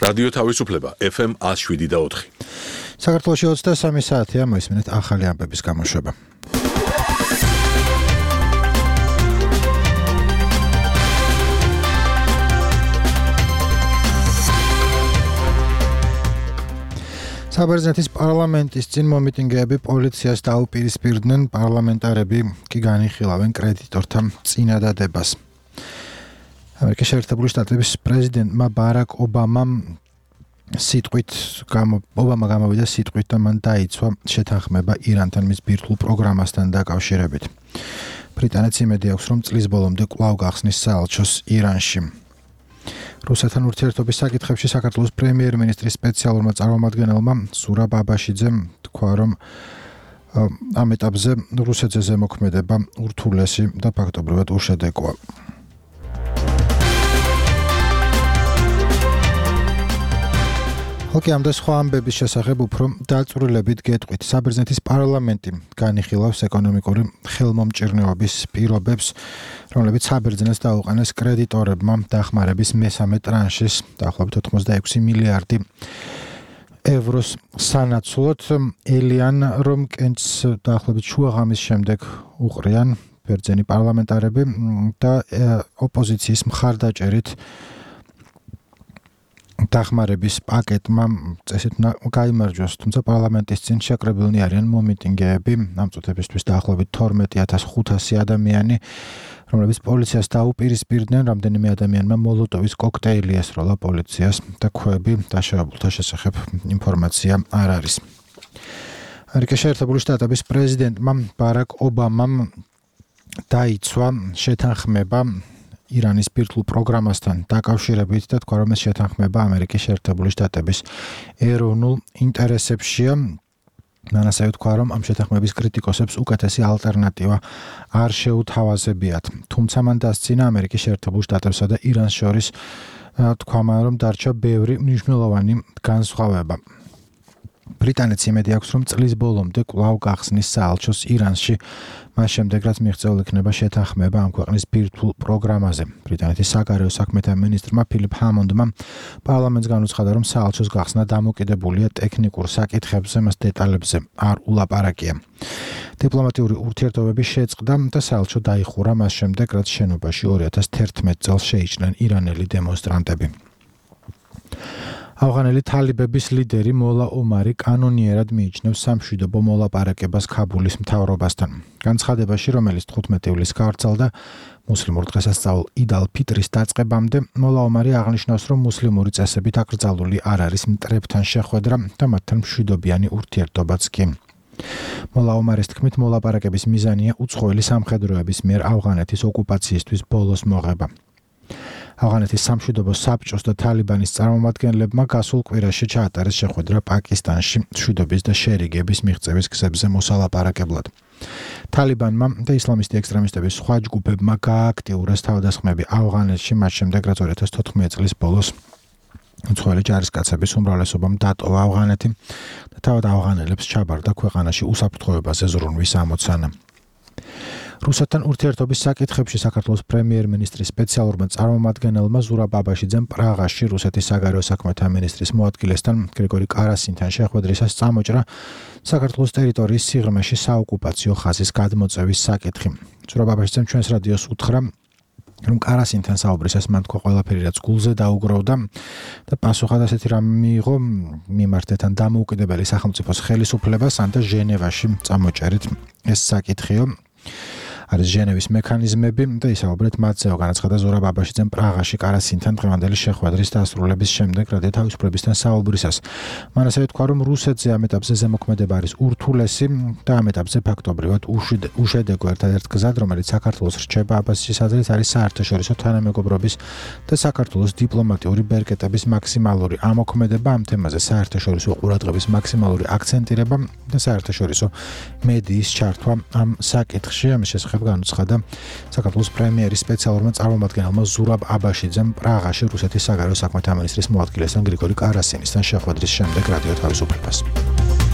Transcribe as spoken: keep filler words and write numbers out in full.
რადიო თავისუფლება ეფ ემ one oh seven და four. საქართველოში ოცდასამი საათია, მოისმინეთ ახალი ამბების გამოშვება. საბერძნეთის პარლამენტის წინ მომიტინგეები პოლიციას დაუპირისპირდნენ, პარლამენტარები კი განიხილავენ კრედიტორთა წინადადებას. ამერიკის შეერთებული შტატების პრეზიდენტმა ბარაკ ობამამ სიტყვით ობამა გამოვიდა სიტყვით და მან დაიცვა შეთანხმება ირანთან მის ბირთვულ პროგრამასთან დაკავშირებით. ბრიტანეთს იმედი აქვს, რომ წლის ბოლომდე კვლავ გახსნის საელჩოს ირანში. რუსეთთან ურთიერთობის საკითხებში საქართველოს პრემიერ-მინისტრის სპეციალურმა წარმომადგენელმა ზურაბ აბაშიძემ თქვა, რომ ამ ეტაპზე რუსეთზე ზემოქმედება ურთულესი და ფაქტობრივად უშედეგოა. ხალხი ამ და სხვა ამბების შესახებ უფრო დაწვრილებით გეტყვით. საბერძნეთის პარლამენტი განიხილავს ეკონომიკური ხელმომჭირნეობის პირობებს, რომლებიც საბერძნეთს დაუყენეს კრედიტორებმა დახმარების მესამე ტრანშის დაახლოებით ოცდაექვსი მილიარდი ევროს სანაცვლოდ. ელიან რომ კენჭს დაახლოებით შუაღამის შემდეგ უყრიან ბერძენი პარლამენტარები და ოპოზიციის მხარდაჭერით დახმარების პაკეტმა წესით გაიმარჯვეს, თუმცა პარლამენტის წინ შეკრებილნი არიან მომიტინგეები, ამ წუთებისთვის დაახლოებით თორმეტი ათას ხუთასი ადამიანი, რომლებიც პოლიციას დაუპირისპირდნენ, რამდენიმე ადამიანმა მოლოტოვის კოქტეილი ესროლა პოლიციას და ქვები დაშავებულთა შესახებ ინფორმაცია არ არის. ამერიკის შეერთებული შტატების პრეზიდენტმა ბარაკ ობამამ დაიცვა შეთანხმება ირანის ბირთვულ პროგრამასთან დაკავშირებით და თქვა, რომ ეს შეთანხმება ამერიკის შეერთებული შტატების ეროვნულ ინტერესებშია. მან ასევე თქვა, რომ ამ შეთანხმების კრიტიკოსებს უკეთესი ალტერნატივა არ შეუთავაზებიათ. თუმცა მან დასცინა ამერიკის შეერთებულ შტატებსა და ირანს შორის თქვა, რომ დარჩა ბევრი მნიშვნელოვანი განსხვავება. ბრიტანეთს იმედი აქვს, რომ წლის ბოლომდე კვლავ გახსნის საელჩოს ირანში, მას შემდეგ რაც მიღწეულ იქნება შეთანხმება ამ ქვეყნის ბირთვულ პროგრამაზე. ბრიტანეთის საგარეო საქმეთა მინისტრმა ფილიპ ჰამონდმა პარლამენტს განუცხადა, რომ საელჩოს გახსნა დამოკიდებულია ტექნიკურ საკითხებზე, მას დეტალებზე არ ულაპარაკია. დიპლომატიური ურთიერთობები შეწყდა და საელჩო დაიხურა მას შემდეგ, რაც შენობაში ორი ათას თერთმეტ წელს შეიჭრნენ ირანელი დემონსტრანტები. ავღანელი თალიბების ლიდერი მოლა ომარი კანონიერად მიიჩნევს სამშვიდობო მოლაპარაკებას ქაბულის მთავრობასთან. განცხადებაში, რომელიც თხუთმეტი ივლისს გავრცელდა მუსლიმურ დღესასწაულ იდ ალ-ფიტრის დაწყებამდე, მოლა ომარი აღნიშნავს, რომ მუსლიმური წესებით აკრძალული არ არის მტრებთან შეხვედრა და მათთან მშვიდობიანი ურთიერთობაც კი. მოლა ომარის თქმით, მოლაპარაკების მიზანია უცხოელი სამხედროების მიერ ავღანეთის ოკუპაციისთვის ბოლოს მოღება. ავღანეთის სამშვიდობო საბჭოს და თალიბანის წარმომადგენლებმა გასულ კვირაში ჩაატარეს შეხვედრა პაკისტანში მშვიდობის და შერიგების მიღწევის გზებზე მოსალაპარაკებლად. თალიბანმა და ისლამისტი ექსტრემისტების სხვა ჯგუფებმა გაააქტიურეს თავდასხმები ავღანეთში, მას შემდეგ რაც ორი ათას თოთხმეტი წლის ბოლოს უცხოელი ჯარისკაცების უმრავლესობამ დატოვა ავღანეთი და თავად ავღანელებს ჩაბარდა ქვეყანაში უსაფრთხოებაზე ზრუნვის ამოცანა. რუსეთთან ურთიერთობის საკითხებში საქართველოს პრემიერ-მინისტრის სპეციალურმა წარმომადგენელმა ზურაბ აბაშიძემ პრაღაში რუსეთის საგარეო საქმეთა მინისტრის მოადგილესთან გრიგორი კარასინთან შეხვედრისას წამოჭრა საქართველოს ტერიტორიის სიღრმეში საოკუპაციო ხაზის გადმოწევის საკითხი. ზურაბ აბაშიძემ ჩვენს რადიოს უთხრა, რომ კარასინთან საუბრისას მან თქვა ყველაფერი რაც გულზე დაუგროვდა და პასუხად ასეთი რამ მიიღო მიმართეთან დამოუკიდებელი სახელმწიფოს ხელისუფლებასთან და ჟენევაში წამოჭერით ეს საკითხიო. არის ჟენევის მექანიზმები და ისაუბრეთ მათზეო, განაცხადა ზურაბ აბაშიძემ პრაღაში კარასინთან დღევანდელი შეხვედრის დასრულების შემდეგ რადიო თავისუფლებისთან საუბრისას. მან ასევე თქვა, რომ რუსეთზე ამ ეტაპზე ზემოქმედება არის ურთულესი და ამ ეტაპზე ფაქტობრივად უშედეგო ერთადერთ გზად, რომელიც საქართველოს რჩება აბაშიძის აზრით, არის საერთაშორისო თანამეგობრობის და საქართველოს დიპლომატიური ბერკეტების მაქსიმალური ამოქმედება ამ თემაზე, საერთაშორისო ყურადღების მაქსიმალური აქცენტირება და საერთაშორისო მედიის ჩართვა ამ საკითხში. ამის შესახებ განუცხადა საქართველოს პრემიერის სპეციალურმა წარმომადგენელმა ზურაბ აბაშიძემ პრაღაში რუსეთის საგარეო საქმეთა მინისტრის მოადგილესთან გრიგორი კარასინისთან შეხვედრის შემდეგ რადიო თავისუფლებას.